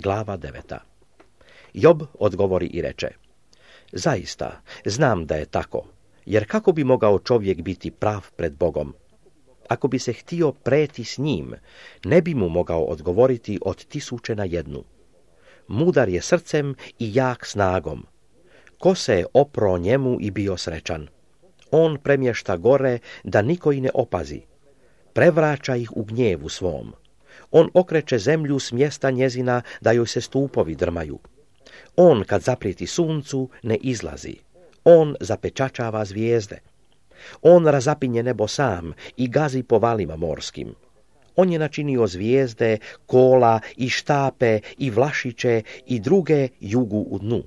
Glava 9. Job odgovori i reče: zaista, znam da je tako, jer kako bi mogao čovjek biti prav pred Bogom? Ako bi se htio preti s njim, ne bi mu mogao odgovoriti od 1000 na 1. Mudar je srcem i jak snagom. Ko se je opro njemu i bio srećan? On premješta gore da niko i ne opazi. Prevraća ih u gnjevu svom. On okreće zemlju s mjesta njezina da joj se stupovi drmaju. On kad zaprijeti suncu ne izlazi. On zapečačava zvijezde. On razapinje nebo sam i gazi po valima morskim. On je načinio zvijezde, kola i štape i vlašiće i druge jugu u dnu.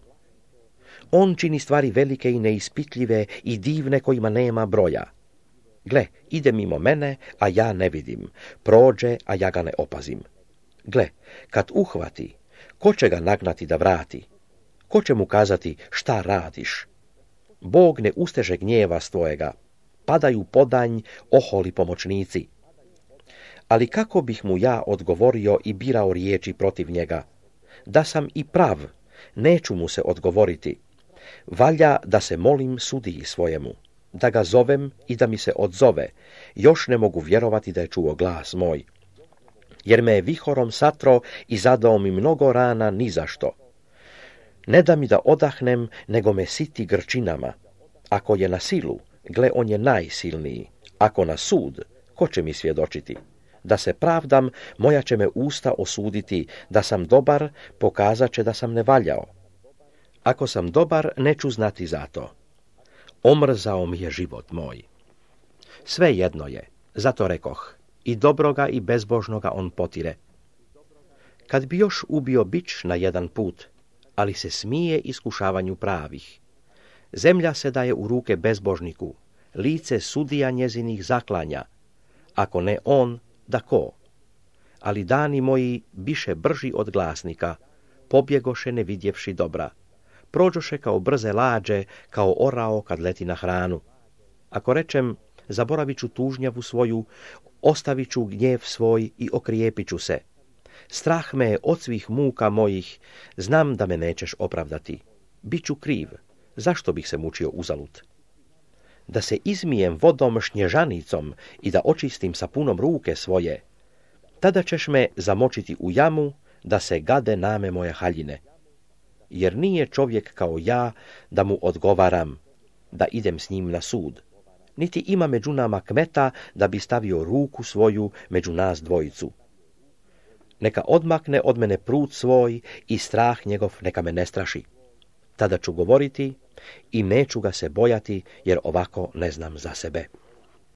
On čini stvari velike i neispitljive i divne kojima nema broja. Gle, ide mimo mene, a ja ne vidim. Prođe, a ja ga ne opazim. Gle, kad uhvati, ko će ga nagnati da vrati? Ko će mu kazati šta radiš? Bog ne usteže gnjeva svojega. Padaju podanj oholi pomoćnici. Ali kako bih mu ja odgovorio i birao riječi protiv njega? Da sam i prav, neću mu se odgovoriti. Valja da se molim sudiji svojemu, da ga zovem i da mi se odzove. Još ne mogu vjerovati da je čuo glas moj. Jer me je vihorom satro i zadao mi mnogo rana ni zašto. Ne da mi da odahnem, nego me siti grčinama. Ako je na silu, gle, on je najsilniji. Ako na sud, ko će mi svjedočiti? Da se pravdam, moja će me usta osuditi. Da sam dobar, pokazat će da sam nevaljao. Ako sam dobar, neću znati za to. Omrzao mi je život moj. Sve jedno je, zato rekoh, i dobroga i bezbožnoga on potire. Kad bi još ubio bič na jedan put, ali se smije iskušavanju pravih. Zemlja se daje u ruke bezbožniku, lice sudija njezinih zaklanja. Ako ne on, da ko? Ali dani moji biše brži od glasnika, pobjegoše ne vidjevši dobra. Prođoše kao brze lađe, kao orao kad leti na hranu. Ako rečem, zaboravit ću tužnjavu svoju, ostavit ću gnjev svoj i okrijepit ću se. Strah me je od svih muka mojih, znam da me nećeš opravdati. Biću kriv, zašto bih se mučio uzalud? Da se izmijem vodom šnježanicom i da očistim sapunom ruke svoje, tada ćeš me zamočiti u jamu, da se gade name moje haljine. Jer nije čovjek kao ja da mu odgovaram, da idem s njim na sud. Niti ima među nama kmeta da bi stavio ruku svoju među nas dvojicu. Neka odmakne od mene prut svoj i strah njegov neka me ne straši. Tada ću govoriti i neću ga se bojati, jer ovako ne znam za sebe.